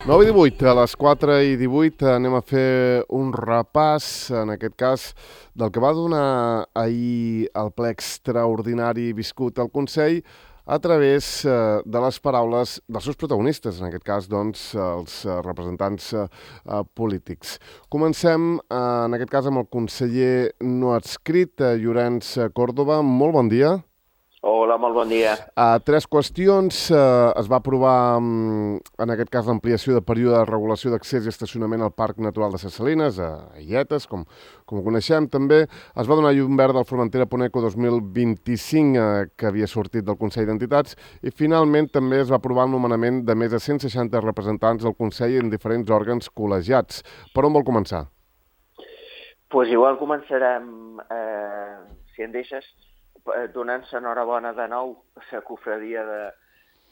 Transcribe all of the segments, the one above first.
9:18, a les 4:18 anem a fer un repàs, en aquest cas, del que va donar ahir el ple extraordinari viscut al Consell a través de les paraules dels seus protagonistes, en aquest cas, doncs, els representants polítics. Comencem, en aquest cas, amb el conseller no adscrit, Llorenç Córdoba. Molt bon dia. Hola, molt bon dia. Tres qüestions. Es va aprovar, en aquest cas, l'ampliació de període de regulació d'accés i estacionament al Parc Natural de Ses Salines, a Illetes, com ho coneixem. També es va donar llum verda al Formentera Poneco 2025, que havia sortit del Consell d'Entitats, i finalment també es va aprovar el nomenament de més de 160 representants del Consell en diferents òrgans col·legiats. Per on vol començar? Pues igual començarem, si en deixes, donant-se enhorabona de nou a la cofradia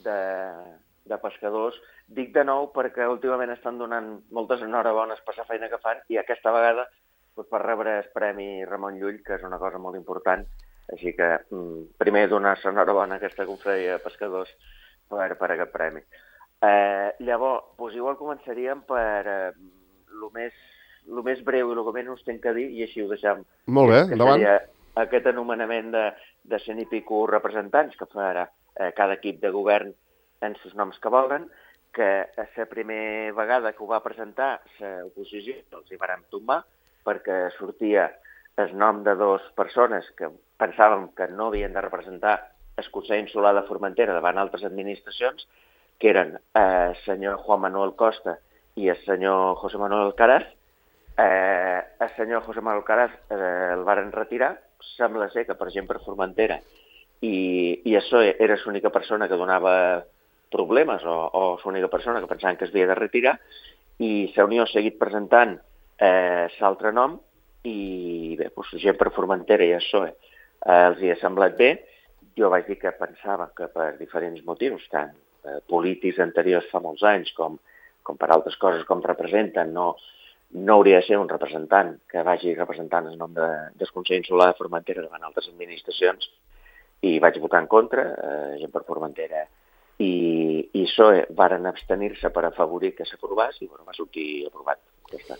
de pescadors. Dic de nou perquè últimament estan donant moltes enhorabones per la feina que fan i aquesta vegada per rebre el Premi Ramon Llull, que és una cosa molt important. Així que primer donar-se enhorabona a aquesta cofradia de pescadors per aquest premi. Llavors, igual començaríem per el més breu i el que menys tinc que dir, i així ho deixem. Molt bé, endavant. Aquest anomenament de 100 i pico representants que farà cada equip de govern en els noms que volen, que la primera vegada que ho va presentar l'oposició els hi vàrem tombar perquè sortia el nom de dues persones que pensàvem que no havien de representar el Consell Insular de Formentera davant altres administracions, que eren el senyor Juan Manuel Costa i el senyor José Manuel Alcaraz. El senyor José Manuel Alcaraz el varen retirar. Sembla ser que, per exemple, Formentera i això era l'única persona que donava problemes o l'única persona que pensaven que es havia de retirar, i la Unió ha seguit presentant l'altre nom i bé, gent per Formentera i això els hi ha semblat bé. Jo vaig dir que pensava que per diferents motius, tant polítics anteriors fa molts anys com per altres coses com representen, no hauria de ser un representant que vagi representant el nom del Consell Insular de Formentera davant altres administracions, i vaig votar en contra, gent per Formentera i PSOE varen abstenir-se per afavorir que s'aprovés i va sortir aprovat. Ja està.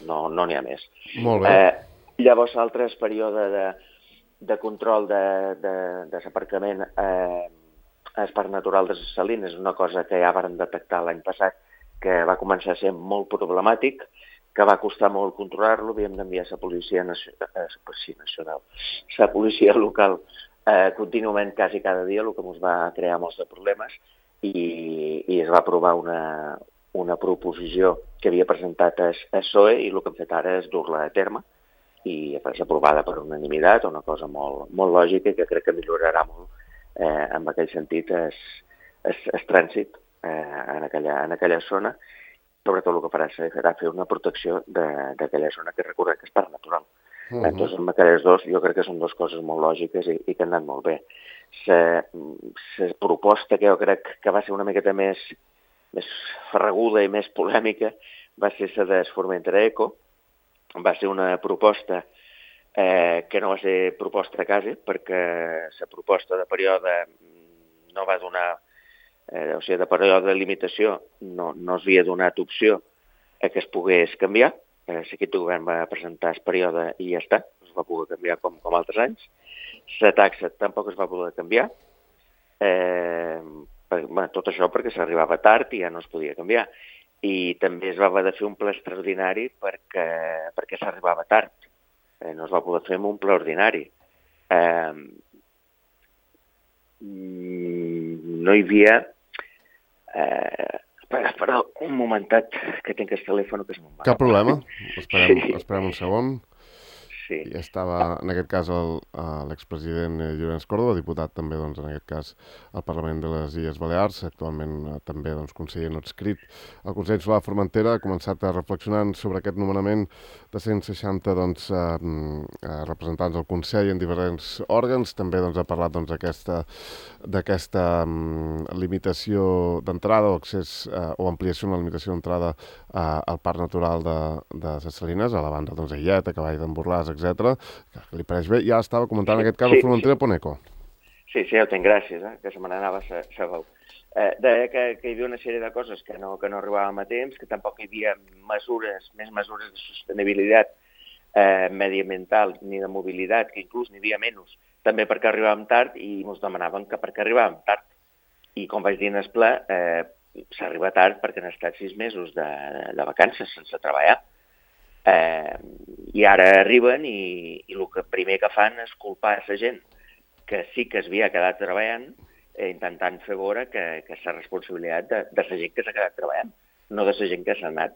No n'hi ha més. Molt bé. Llavors, l'altre període de control de l'aparcament al Parc Natural de Ses Salines és una cosa que ja varen detectar l'any passat, que va començar a ser molt problemàtic, que va costar molt controlar-lo. Havíem d'enviar la policia nacional, la policia local contínuament, quasi cada dia, el que ens va crear molts de problemes, i es va aprovar una proposició que havia presentat el PSOE i el que hem fet ara és dur-la a terme i és aprovada per unanimitat, una cosa molt, molt lògica i que crec que millorarà molt en aquell sentit el trànsit en aquella zona. Sobretot el que farà serà fer una protecció d'aquella zona que recordem que és parc natural. Entonces, amb aquelles dos, jo crec que són dues coses molt lògiques i que han anat molt bé. La proposta que jo crec que va ser una miqueta més ferraguda i més polèmica va ser la de Formentera Eco. Va ser una proposta que no va ser proposta quasi, perquè la proposta de període no va donar, o sigui, de període de limitació no es havia donat opció a que es pogués canviar. L'equip de govern va presentar el període i ja està, es va poder canviar com altres anys. La taxa tampoc es va poder canviar. Tot això perquè s'arribava tard i ja no es podia canviar. I també es va haver de fer un ple extraordinari perquè s'arribava tard. No es va poder fer amb un ple ordinari. No hi havia... Espera un momentet, que tinc el telèfon que és molt mal. Cap problema. Esperem un segon. Sí. Ja estava, en aquest cas, l'expresident Llorenç Córdoba, diputat també, doncs, en aquest cas, al Parlament de les Illes Balears, actualment també, doncs, conseller no adscrit al Consell Insular de Formentera, ha començat a reflexionar sobre aquest nomenament de 160, doncs, representants del Consell en diferents òrgans. També, doncs, ha parlat, doncs, d'aquesta limitació d'entrada o accés o ampliació en la limitació d'entrada al Parc Natural de Ses Salines, a la banda, doncs, d'Illeta, Cavall d'en Borlàs, etc. Que li pareix bé. Ja estava comentant en aquest cas el Formentera Poneco. Sí, ja ho tinc, gràcies, que se me n'anava la veu. deia que hi havia una sèrie de coses que no arribàvem a temps, que tampoc hi havia més mesures de sostenibilitat mediambiental ni de mobilitat, que inclús n'hi havia menys, també perquè arribàvem tard i ens demanaven que perquè arribàvem tard. I com vaig dir en el ple, s'arriba tard perquè han estat 6 mesos de vacances sense treballar. I ara arriben i el que primer que fan és culpar la gent que sí que s'havia quedat treballant, intentant fer veure que és la responsabilitat de la gent que s'ha quedat treballant, no de la gent que s'ha anat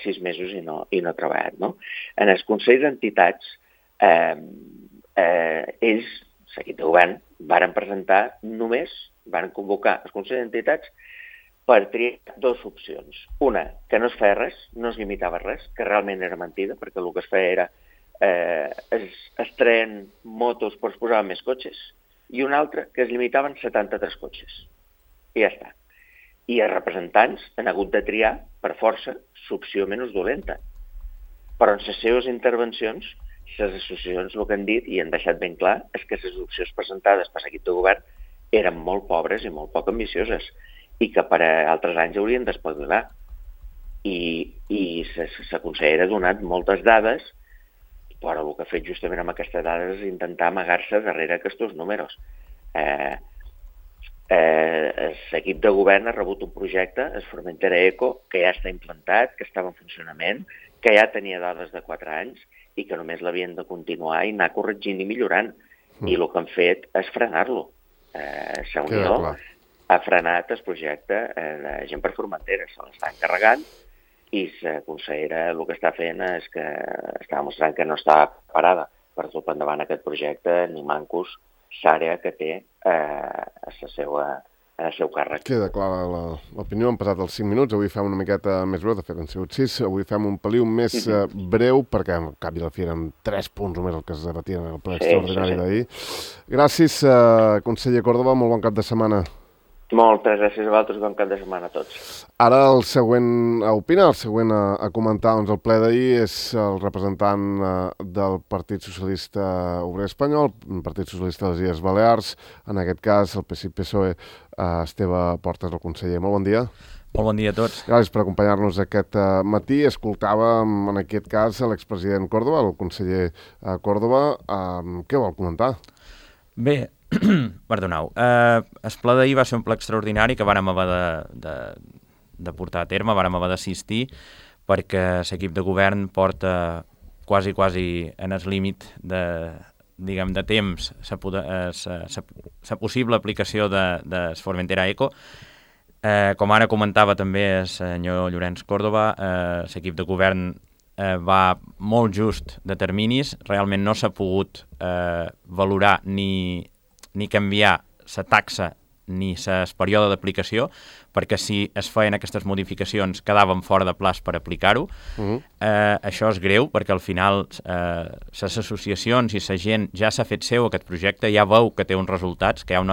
6 mesos i no ha treballat. No? En els consells d'entitats, ells, l'equip de govern, varen convocar els consells d'entitats per triar 2 opcions. Una, que no es feia res, no es limitava res, que realment era mentida, perquè el que es feia era es treien motos però es posaven més cotxes, i una altra que es limitaven 73 cotxes. I ja està. I els representants han hagut de triar, per força, l'opció menys dolenta. Però en les seves intervencions, les associacions el que han dit i han deixat ben clar és que les opcions presentades per l'equip de govern eren molt pobres i molt poc ambicioses i que per a altres anys haurien d'espavilar. I la consellera ha donat moltes dades, però el que ha fet justament amb aquestes dades és intentar amagar-se darrere aquests números. L'equip de govern ha rebut un projecte, el Formentera Eco, que ja està implantat, que estava en funcionament, que ja tenia dades de 4 anys i que només l'havien de continuar i anar corregint i millorant. I el que han fet és frenar-lo. La Unió ha frenat el projecte de Gent per Formentera, se l'està encarregant i la consellera el que està fent és que està mostrant que no està preparada per dur endavant aquest projecte ni mancos l'àrea que té en el seu càrrec. Queda clara l'opinió. Han passat els 5 minuts. Avui fem una miqueta més breu, de fet han sigut 6. Avui fem un peliu més breu, perquè al cap i a la fi eren 3 punts només el que es debatien en el ple extraordinari d'ahir. Gràcies, conseller Córdoba. Molt bon cap de setmana. Moltes gràcies a vosaltres i bon cap de setmana a tots. Ara el següent a opinar, el següent a comentar el ple d'ahir és el representant del Partit Socialista Obrer Espanyol, el Partit Socialista de les Illes Balears, en aquest cas el PSI-PSOE, Esteve Portes, el conseller. Molt bon dia. Molt bon dia a tots. Gràcies per acompanyar-nos aquest matí. Escoltàvem en aquest cas l'expresident Córdoba, el conseller Córdoba. Què vol comentar? Bé, perdoneu. El ple d'ahir va ser un ple extraordinari que vàrem haver de portar a terme, vàrem haver d'assistir, perquè l'equip de govern porta quasi en el límit de temps la possible aplicació de Formentera Eco. Com ara comentava també el senyor Llorenç Córdoba, l'equip de govern va molt just de terminis, realment no s'ha pogut valorar ni canviar la taxa ni el període d'aplicació, perquè si es feien aquestes modificacions quedaven fora de plaç per aplicar-ho. Això és greu, perquè al final les associacions i la gent ja s'ha fet seu aquest projecte, ja veu que té uns resultats, que hi ha un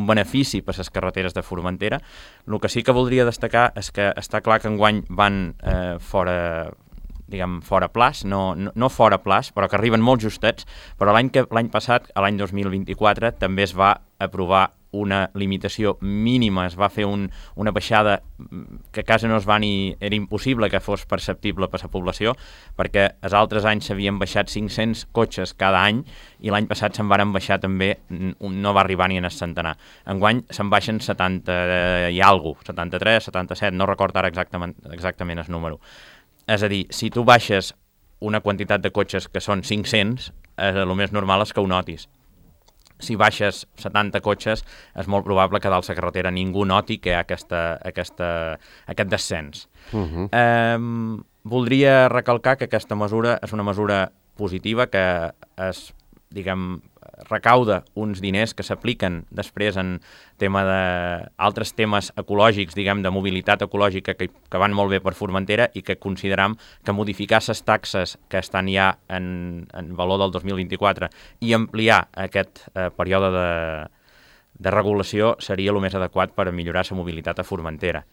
benefici per a les carreteres de Formentera. El que sí que voldria destacar és que està clar que enguany van fora plaç, no fora plaç, però que arriben molt justets, però l'any passat, l'any 2024, també es va aprovar una limitació mínima, es va fer una baixada que quasi no es va era impossible que fos perceptible per la població, perquè els altres anys s'havien baixat 500 cotxes cada any i l'any passat se'n varen baixar també, no va arribar ni en el centenar. Enguany se'n baixen 70 i alguna cosa, 73, 77, no recordo ara exactament el número. És a dir, si tu baixes una quantitat de cotxes que són 500, el més normal és que ho notis. Si baixes 70 cotxes, és molt probable que dalt la carretera ningú noti que hi ha aquest descens. Voldria recalcar que aquesta mesura és una mesura positiva, que es, recauda uns diners que s'apliquen després en altres temes ecològics, de mobilitat ecològica que van molt bé per Formentera i que consideram que modificar les taxes que estan ja en valor del 2024 i ampliar aquest període de regulació seria el més adequat per millorar la mobilitat a Formentera.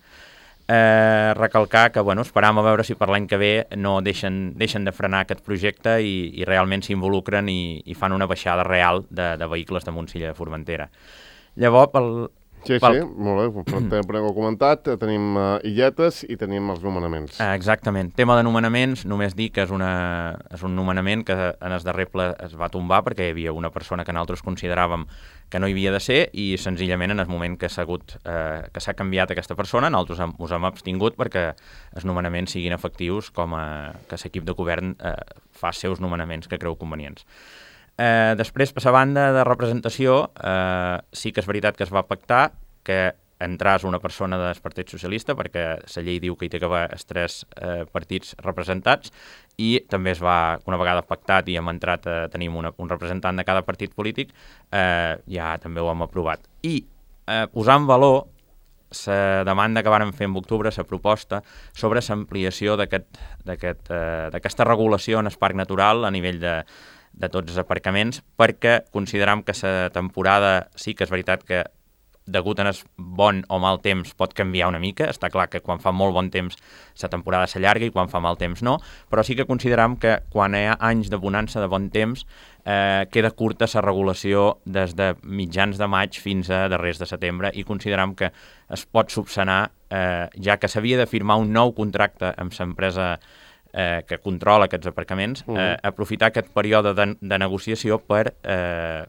Recalcar que esperam a veure si per l'any que ve no deixen de frenar aquest projecte i realment s'involucren i fan una baixada real de vehicles de Montsilla de Formentera. Llavors, Sí, molt bé, també ho comentat, tenim illetes i tenim els nomenaments. Exactament. Tema de nomenaments, només dir que és un nomenament que en el darrer ple es va tombar perquè hi havia una persona que nosaltres consideràvem que no hi havia de ser i senzillament en el moment que s'ha canviat aquesta persona, nosaltres us hem abstingut perquè els nomenaments siguin efectius que l'equip de govern fa els seus nomenaments que creu convenients. Després, per la banda de representació, sí que és veritat que es va pactar que entràs una persona del Partit Socialista, perquè la llei diu que hi té que haver els 3 partits representats, i també es va, una vegada pactat i hem entrat, tenim un representant de cada partit polític, ja també ho hem aprovat. I posar en valor la demanda que vàrem fer en octubre, la proposta sobre l'ampliació d'aquesta regulació en el parc natural a nivell de tots els aparcaments, perquè consideram que la temporada sí que és veritat que degut a el bon o mal temps pot canviar una mica, està clar que quan fa molt bon temps la temporada s'allarga i quan fa mal temps no, però sí que consideram que quan hi ha anys de bonança de bon temps queda curta la regulació des de mitjans de maig fins a darrers de setembre i consideram que es pot subsanar ja que s'havia de firmar un nou contracte amb l'empresa que controla aquests aparcaments, aprofitar aquest període de negociació per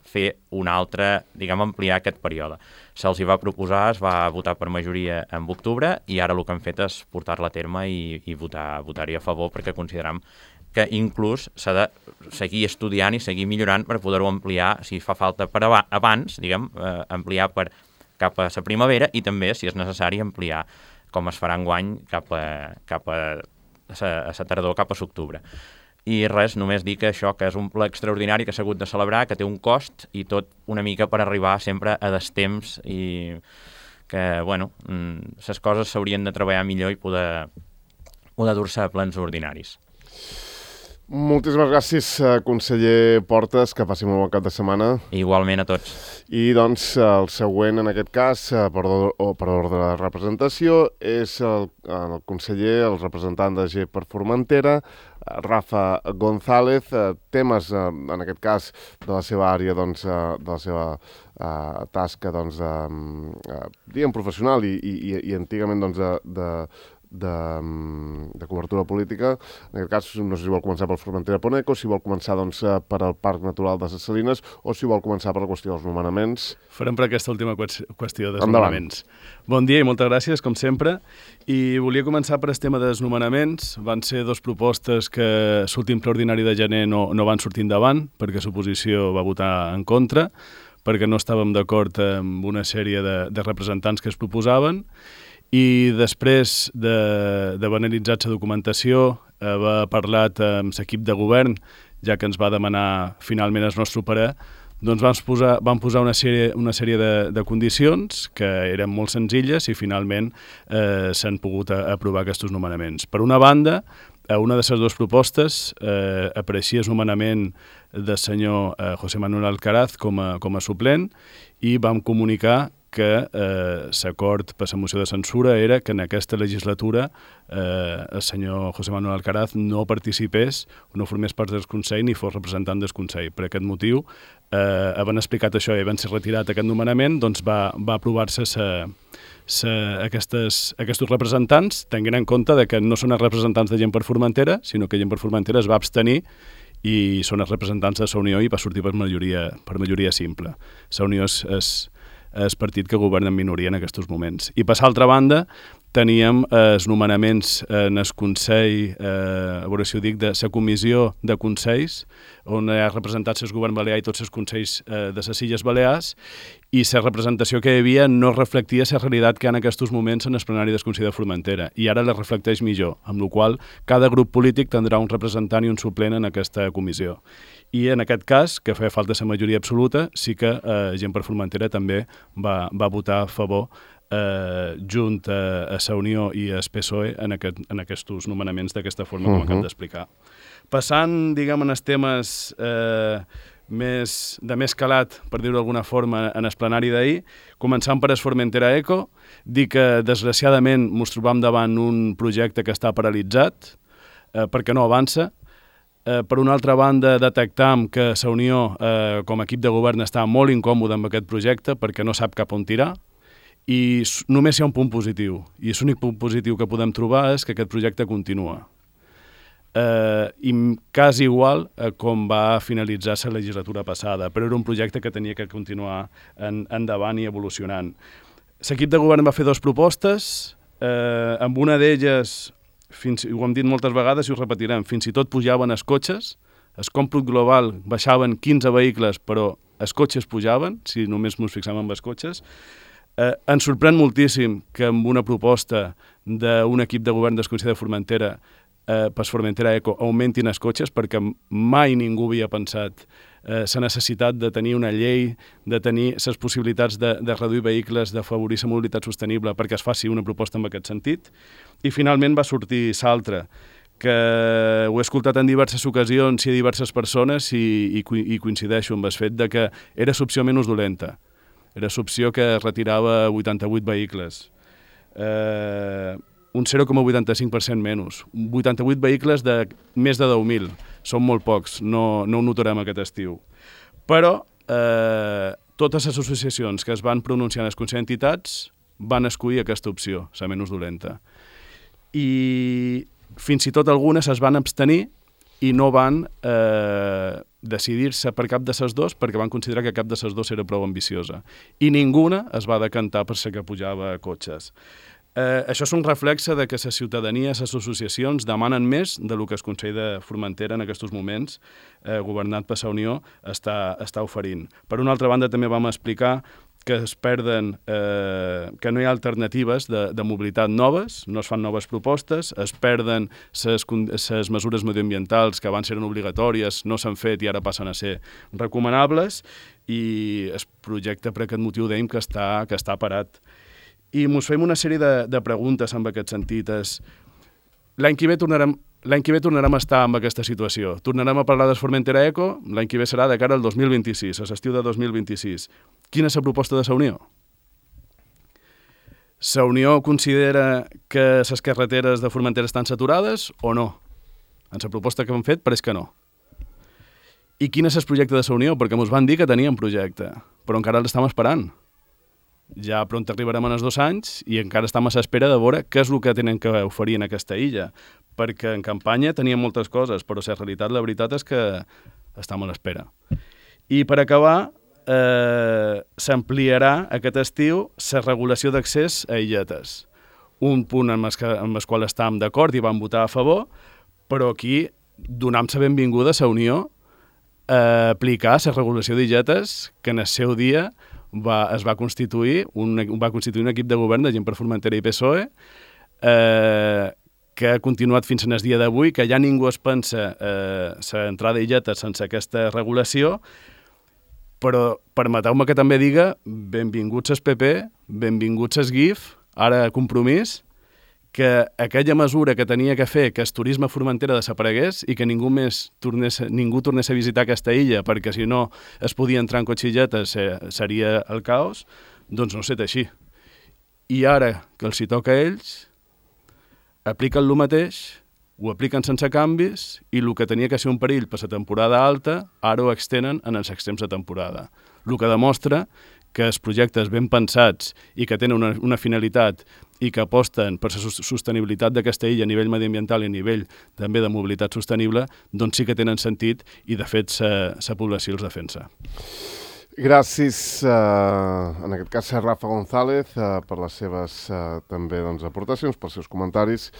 fer un altre, diguem, ampliar aquest període. Se'ls hi va proposar, es va votar per majoria en octubre i ara el que han fet és portar-la a terme i votar-hi a favor perquè consideram que inclús s'ha de seguir estudiant i seguir millorant per poder-ho ampliar, si fa falta per abans, diguem, ampliar cap a la primavera i també, si és necessari, ampliar, com es farà enguany, cap a la tardor, cap a l'octubre. I res, només dir que això, que és un ple extraordinari que s'ha hagut de celebrar, que té un cost i tot una mica per arribar sempre a destemps i que, bueno, les coses s'haurien de treballar millor i poder dur-se a plens ordinaris. Moltíssimes gràcies, conseller Portes, que passi molt bon cap de setmana. Igualment a tots. I doncs el següent, en aquest cas, per ordre de representació, és el conseller, el representant de G per Formentera, Rafa González, temes, en aquest cas, de la seva àrea, doncs, de la seva tasca, doncs, diguem, professional i antigament, doncs, de cobertura política. En aquest cas, no sé si vol començar pel Formentera Poneco, si vol començar doncs, per al Parc Natural de les Salines o si vol començar per la qüestió dels nomenaments. Farem per aquesta última qüestió dels nomenaments. Bon dia i moltes gràcies, com sempre. I volia començar per el tema dels nomenaments. Van ser 2 propostes que l'últim ple ordinari de gener no van sortir endavant, perquè l'oposició va votar en contra, perquè no estàvem d'acord amb una sèrie de representants que es proposaven. I després d'haver analitzat la documentació, haver parlat amb l'equip de govern, ja que ens va demanar finalment el nostre parer, doncs vam posar una sèrie de condicions que eren molt senzilles i finalment s'han pogut aprovar aquests nomenaments. Per una banda, a una de les 2 propostes apareixia el nomenament del senyor José Manuel Alcaraz com a suplent i vam comunicar que l'acord per la moció de censura era que en aquesta legislatura el senyor José Manuel Alcaraz no participés o no formés part del Consell ni fos representant del Consell. Per aquest motiu, havent explicat això i havent ser retirat aquest nomenament, doncs va aprovar-se aquests representants, tenint en compte que no són els representants de Gent per Formentera, sinó que Gent per Formentera es va abstenir i són els representants de la Unió i va sortir per majoria simple. La Unió és el partit que governa en minoria en aquests moments. I per l'altra banda, teníem els nomenaments en el Consell, a veure si ho dic, de la Comissió de Consells, on hi ha representats el govern balear i tots els consells de les Illes Balears, i la representació que hi havia no reflectia la realitat que hi ha en aquests moments en el plenari del Consell de Formentera, i ara la reflecteix millor, amb la qual cada grup polític tindrà un representant i un suplent en aquesta comissió. I en aquest cas, que feia falta la majoria absoluta, sí que Gent per Formentera també va votar a favor junt a la Unió i al PSOE en aquests nomenaments d'aquesta forma com acabo d'explicar. Passant, diguem, en els temes de més calat, per dir-ho d'alguna forma, en el plenari d'ahir, començant per el Formentera Eco, dir que desgraciadament ens trobam davant un projecte que està paralitzat perquè no avança. Per una altra banda, detectam que Sa Unió, com a equip de govern, està molt incòmode amb aquest projecte perquè no sap cap on tirar i només hi ha un punt positiu. I l'únic punt positiu que podem trobar és que aquest projecte continua. I quasi igual com va finalitzar la legislatura passada, però era un projecte que tenia que continuar endavant i evolucionant. L'equip de govern va fer 2 propostes, amb una d'elles, ho hem dit moltes vegades i ho repetirem, fins i tot pujaven els cotxes, el còmput global baixaven 15 vehicles, però els cotxes pujaven, si només ens fixem en els cotxes. Ens sorprèn moltíssim que amb una proposta d'un equip de govern del Consell de Formentera per Formentera Eco augmentin els cotxes, perquè mai ningú havia pensat la necessitat de tenir una llei, de tenir les possibilitats de reduir vehicles, d'afavorir la mobilitat sostenible perquè es faci una proposta en aquest sentit. I finalment va sortir l'altra, que ho he escoltat en diverses ocasions i a diverses persones i coincideixo amb el fet de que era l'opció menys dolenta. Era l'opció que retirava 88 vehicles. Un 0,85% menys. 88 vehicles de més de 10.000. Són molt pocs, no ho notarem aquest estiu. Però totes les associacions que es van pronunciar en el Consell d'Entitats van escollir aquesta opció, la menys dolenta. I fins i tot algunes es van abstenir i no van decidir-se per cap de les 2 perquè van considerar que cap de les 2 era prou ambiciosa. I ninguna es va decantar per ser que pujava a cotxes. Això és un reflexe de que la ciutadania, les associacions, demanen més del que el Consell de Formentera en aquests moments, governat per Sa Unió, està oferint. Per una altra banda, també vam explicar que es perden, que no hi ha alternatives de mobilitat noves, no es fan noves propostes, es perden les mesures mediambientals que abans eren obligatòries, no s'han fet i ara passen a ser recomanables, i el projecte per aquest motiu dèiem que està parat. I ens fem una sèrie de preguntes en aquest sentit. L'any que ve tornarem a estar en aquesta situació. Tornarem a parlar de Formentera Eco, l'any que ve serà de cara al 2026, a l'estiu de 2026. Quina és la proposta de Sa Unió? Sa Unió considera que les carreteres de Formentera estan saturades o no? En la proposta que hem fet pareix que no. I quin és el projecte de Sa Unió? Perquè ens van dir que tenien projecte, però encara l'estem esperant. Ja pront arribarem en els 2 anys i encara estem a l'espera de veure què és el que tenen que oferir en aquesta illa, perquè en campanya tenien moltes coses, però la realitat, la veritat és que estem a l'espera. I per acabar, s'ampliarà aquest estiu la regulació d'accés a illetes. Un punt amb el qual estàvem d'acord i vam votar a favor, però aquí donam la benvinguda a Sa Unió a aplicar la regulació d'illetes que en el seu dia es va constituir un equip de govern de gent per Formentera i PSOE que ha continuat fins al dia d'avui, que ja ningú es pensa l'entrada d'illetes sense aquesta regulació, però permeteu-me que també diga benvinguts al PP, benvinguts al GIF, ara Compromís, que aquella mesura que tenia que fer que el turisme a Formentera desaparegués i que ningú tornés a visitar aquesta illa perquè si no es podia entrar en cotxilletes seria el caos, doncs no ha estat així. I ara que els hi toca a ells, apliquen el mateix, ho apliquen sense canvis i el que tenia que ser un perill per la temporada alta ara ho extenen en els extrems de temporada. El que demostra que els projectes ben pensats i que tenen una finalitat i que aposten per la sostenibilitat d'aquesta illa a nivell mediambiental i a nivell també de mobilitat sostenible, doncs sí que tenen sentit i de fet la població els defensa. Gràcies, en aquest cas, a Rafa González, per les seves també aportacions, pels seus comentaris,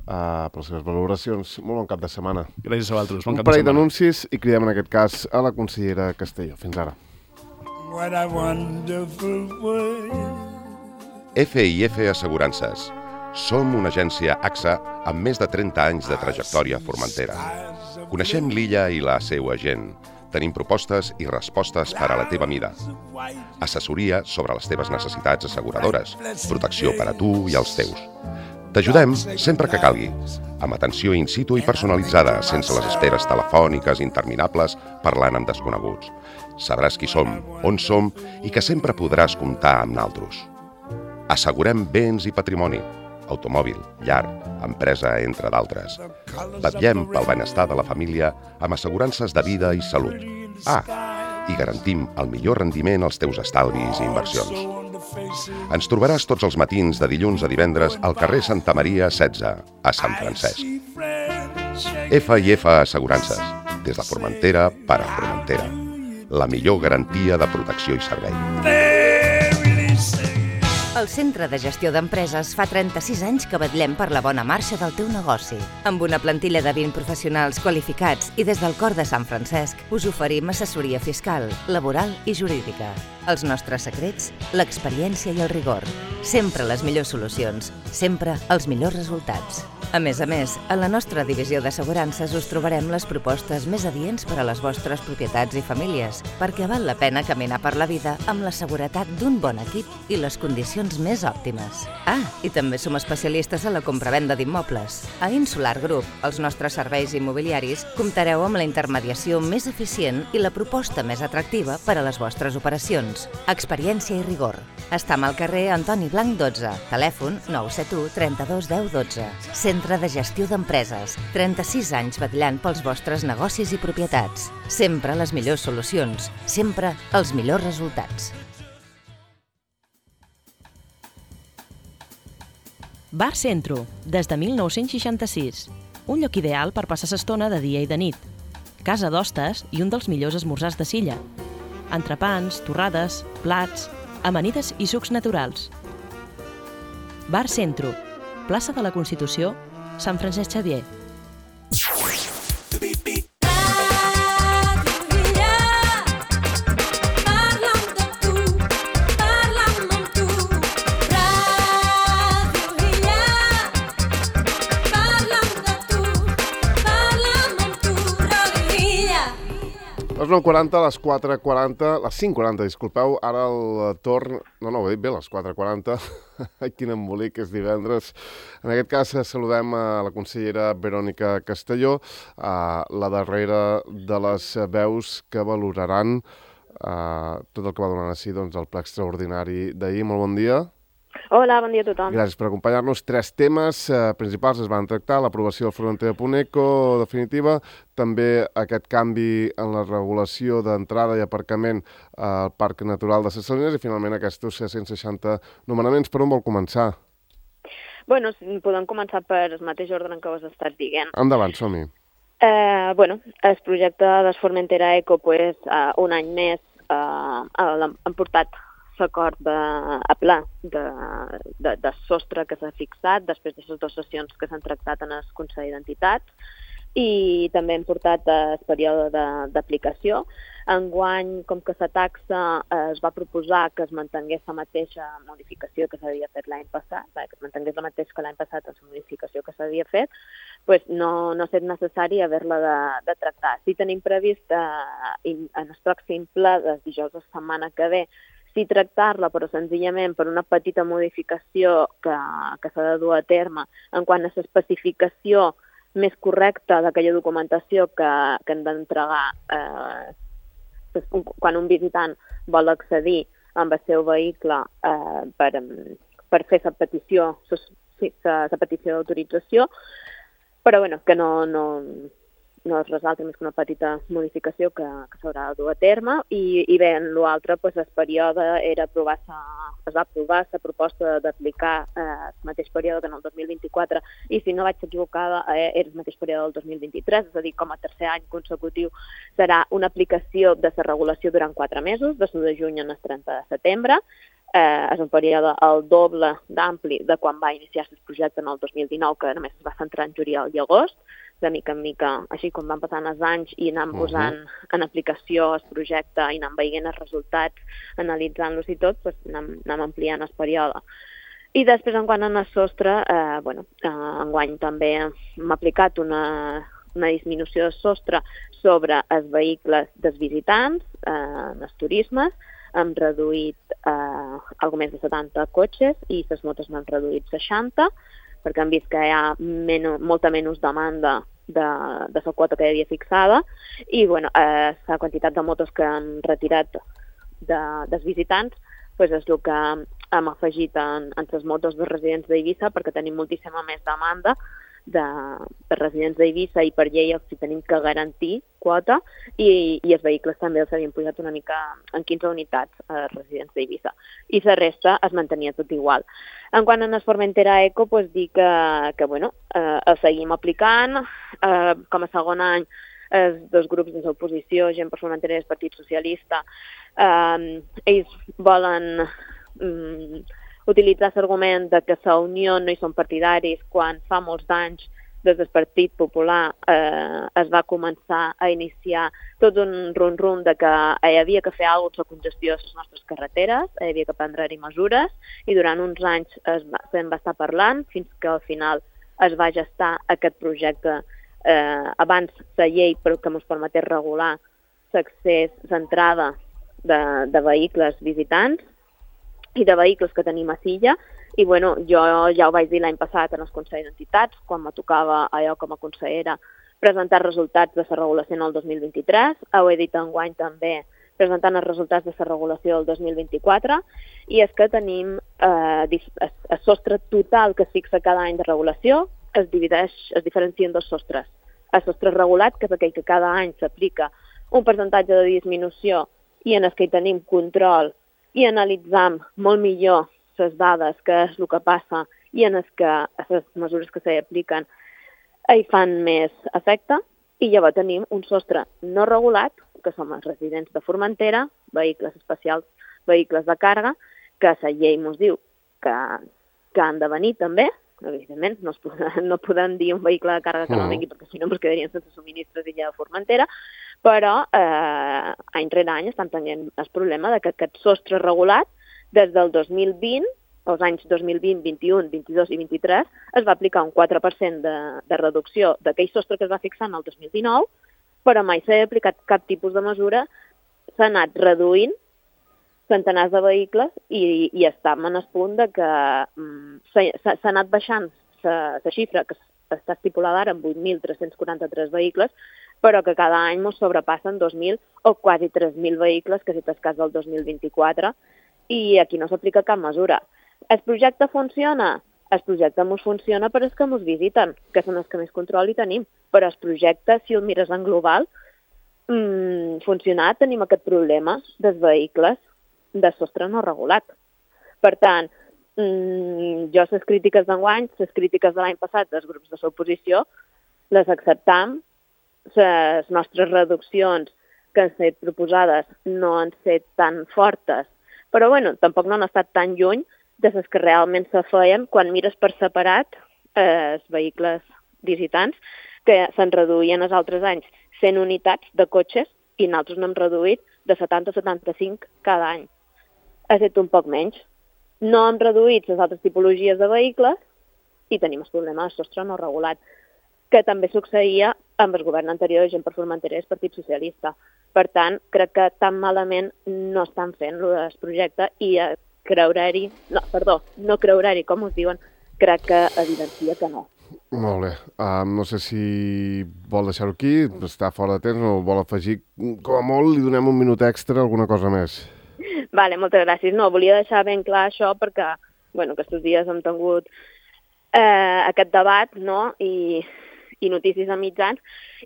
per les seves valoracions. Molt bon cap de setmana. Gràcies a vosaltres. Bon cap de setmana. Un parell d'anuncis i cridem en aquest cas a la consellera Castelló. Fins ara. What a wonderful world. FIF Assegurances. Som una agència AXA amb més de 30 anys de trajectòria a Formentera. Coneixem l'illa i la seva gent. Tenim propostes i respostes per a la teva mida. Assessoria sobre les teves necessitats asseguradores. Protecció per a tu i els teus. T'ajudem sempre que calgui, amb atenció in situ i personalitzada, sense les esperes telefòniques interminables parlant amb desconeguts. Sabràs qui som, on som i que sempre podràs comptar amb naltros. Assegurem béns i patrimoni. automòbil, llar, empresa, entre d'altres. Vetllem pel benestar de la família amb assegurances de vida i salut. I garantim el millor rendiment als teus estalvis i inversions. Ens trobaràs tots els matins de dilluns a divendres al carrer Santa Maria 16, a Sant Francesc. F&F Assegurances, des de Formentera per a Formentera. La millor garantia de protecció i servei. El Centre de Gestió d'Empreses fa 36 anys que vetllem per la bona marxa del teu negoci. Amb una plantilla de 20 professionals qualificats i des del cor de Sant Francesc us oferim assessoria fiscal, laboral i jurídica. Els nostres secrets, l'experiència i el rigor. Sempre les millors solucions, sempre els millors resultats. A més, a la nostra divisió d'assegurances us trobarem les propostes més adients per a les vostres propietats i famílies, perquè val la pena caminar per la vida amb la seguretat d'un bon equip i les condicions més òptimes. I també som especialistes a la compravenda d'immobles. A Insular Group, els nostres serveis immobiliaris, comptareu amb la intermediació més eficient i la proposta més atractiva per a les vostres operacions. Experiència i rigor. Estam al carrer Antoni Blanc 12, telèfon 971 32 10 12. Centre de Gestió d'Empreses, 36 anys vetllant pels vostres negocis i propietats. Sempre les millors solucions, sempre els millors resultats. Bar Centro, des de 1966. Un lloc ideal per passar l'estona de dia i de nit. Casa d'hostes i un dels millors esmorzars de Silla. Entrepans, torrades, plats, amanides i sucs naturals. Bar Centro, plaça de la Constitució, Sant Francesc Xavier. Les 9:40, les 4:40, les 5:40, disculpeu, ara el torn... No, ho he dit bé, les 4:40, quin embolic, és divendres. En aquest cas saludem a la consellera Verònica Castelló, la darrera de les veus que valoraran tot el que va donant així el ple extraordinari d'ahir. Molt bon dia. Hola, bon dia a tothom. Gràcies per acompanyar-nos. 3 temes principals es van tractar: l'aprovació del Formentera Punt.eco definitiva, també aquest canvi en la regulació d'entrada i aparcament al Parc Natural de Ses Salines i finalment aquests 160 nomenaments. Per on vol començar? Bueno, podem començar per el mateix ordre en què ho has estat dient. Endavant, som-hi. El projecte de Formentera Eco, un any més, han portat l'acord a pla de sostre que s'ha fixat després de les 2 sessions que s'han tractat en el Consell d'Entitats, i també hem portat el període d'aplicació. Enguany, com que la taxa es va proposar que es mantingués la mateixa modificació que s'havia fet l'any passat, que es mantingués la mateixa que l'any passat en la modificació que s'havia fet, no ha estat necessari haver-la de tractar. Si tenim previst en el pròxim ple del dijous de la setmana que ve tractar-la, però senzillament per una petita modificació que s'ha de dur a terme en quant a l'especificació més correcta d'aquella documentació que hem d'entregar quan un visitant vol accedir amb el seu vehicle per fer la petició d'autorització, però que no es resalta més que una petita modificació que s'haurà de dur a terme. I bé, en l'altre, el període es va aprovar la proposta d'aplicar el mateix període que en el 2024, i si no vaig equivocada, era el mateix període del 2023, és a dir, com a tercer any consecutiu serà una aplicació de la regulació durant 4 mesos, de l'1 de juny al 30 de setembre. És un període el doble d'ampli de quan va iniciar el projecte en el 2019, que només es va centrar en juliol i agost. De mica en mica, així com van passant els anys i anant posant en aplicació el projecte i anant veient els resultats, analitzant-los i tot, anem ampliant el període. I després, en quant al sostre, enguany també hem aplicat una disminució del sostre sobre els vehicles dels visitants, els turismes. Hem reduït algo més de 70 cotxes i les motos n'han reduït 60, perquè hem vist que hi ha molta menys demanda de la quota que hi havia fixada, i la quantitat de motos que han retirat dels visitants és el que hem afegit en les motos de residents d'Eivissa perquè tenim moltíssima més demanda de residents d'Eivissa i per llei els tenim que garantir quota i els vehicles també els havien pujat una mica en 15 unitats a residents d'Eivissa. I la resta es mantenia tot igual. En quant a el Formentera Eco, doncs dir que bueno, el seguim aplicant. Com a segon any, els dos grups de l'oposició, Gent per Formentera i el Partit Socialista, ells volen utilitzar l'argument de que la Unió no hi són partidaris quan fa molts anys des del Partit Popular es va començar a iniciar tot un rum-rum de que hi havia que fer alguna cosa amb la congestió de les nostres carreteres, hi havia que prendre-hi mesures i durant uns anys se'n va estar parlant fins que al final es va gestar aquest projecte abans la llei que ens permetés regular l'accés, l'entrada de vehicles visitants i de vehicles que tenim a Silla. I bueno, jo ja ho vaig dir l'any passat en el Consell d'Entitats, quan me tocava allò com a consellera presentar resultats de la regulació en el 2023. Ho he dit enguany també presentant els resultats de la regulació del 2024, i és que tenim el sostre total que es fixa cada any de regulació, es diferencia en dos sostres. El sostre regulat, que és aquell que cada any s'aplica un percentatge de disminució i en el que hi tenim control i analitzam molt millor les dades, que és el que passa, i en el que les mesures que s'hi apliquen hi fan més efecte. I llavors tenim un sostre no regulat, que som els residents de Formentera, vehicles especials, vehicles de càrrega, que la llei ens diu que han de venir també. Evidentment, no podem dir un vehicle de càrrega que no vingui, perquè si no ens quedarien sense subministres i ja de Formentera, però any rere any estan tenint el problema de que aquest sostre regulat des del 2020, els anys 2020, 21, 22 i 23, es va aplicar un 4% de reducció d'aquell sostre que es va fixar en el 2019, però mai s'ha aplicat cap tipus de mesura, s'ha anat reduint centenars de vehicles i estem en el punt de que s'ha anat baixant la xifra que està estipulada ara en 8.343 vehicles, però que cada any ens sobrepassen 2.000 o quasi 3.000 vehicles, que és el cas del 2024, i aquí no s'aplica cap mesura. El projecte funciona? El projecte ens funciona per als que ens visiten, que són els que més control hi tenim, però el projecte, si el mires en global, funcionar, tenim aquest problema dels vehicles de sostre no regulat. Per tant, jo les crítiques d'enguany, les crítiques de l'any passat dels grups de l'oposició, les acceptam. Les nostres reduccions que han estat proposades no han estat tan fortes, però bueno, tampoc no han estat tan lluny de les que realment se feien quan mires per separat els vehicles visitants, que se'n reduïen els altres anys 100 unitats de cotxes i nosaltres n'hem reduït de 70 a 75 cada any. Ha estat un poc menys. No hem reduït les altres tipologies de vehicles i tenim el problema del sostre no regulat, que també succeïa amb el govern anterior de Gent per Formentera i el Partit Socialista. Per tant, crec que tan malament no estan fent el projecte i no creure-hi, com us diuen, crec que evidencia que no. Molt bé. No sé si vol deixar-ho aquí, està fora de temps, o vol afegir, com a molt, li donem un minut extra, alguna cosa més. Vale, moltes gràcies. No, volia deixar ben clar això perquè, bueno, aquests dies hem tingut aquest debat, no?, i notícies a mitjans,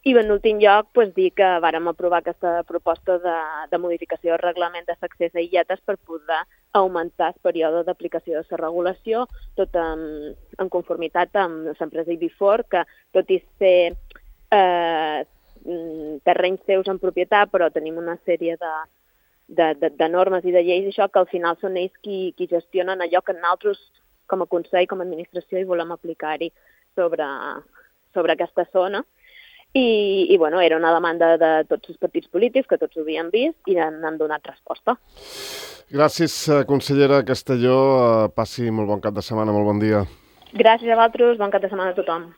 i en últim lloc dir que vàrem aprovar aquesta proposta de modificació del reglament de l'accés a illetes per poder augmentar el període d'aplicació de la regulació, tot en conformitat amb l'empresa Ibifor, que tot i ser terrenys seus en propietat, però tenim una sèrie de normes i de lleis, això que al final són ells qui gestionen allò que nosaltres, com a Consell, com a administració, hi volem aplicar-hi sobre aquesta zona. I bueno, era una demanda de tots els partits polítics, que tots ho havien vist, i han donat resposta. Gràcies, consellera Castelló. Passi molt bon cap de setmana, molt bon dia. Gràcies a vosaltres, bon cap de setmana a tothom.